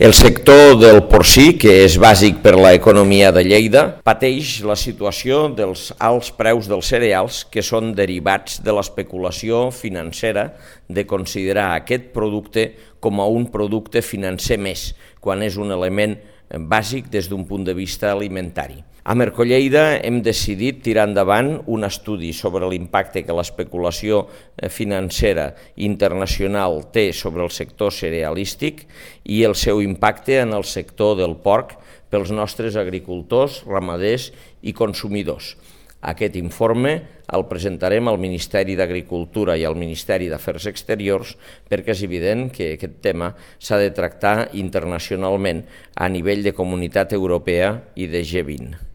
El sector del porcí, que és bàsic per a l'economia de Lleida, pateix la situació dels alts preus dels cereals que són derivats de l'especulació financera de considerar aquest producte com a un producte financer més, quan és un element bàsic des d'un punt de vista alimentari. A Mercolleida hem decidit tirar endavant un estudi sobre l'impacte que l'especulació financera internacional té sobre el sector cerealístic i el seu impacte en el sector del porc pels nostres agricultors, ramaders i consumidors. Aquest informe el presentarem al Ministeri d'Agricultura i al Ministeri d'Afers Exteriors perquè és evident que aquest tema s'ha de tractar internacionalment a nivell de Comunitat Europea i de G20.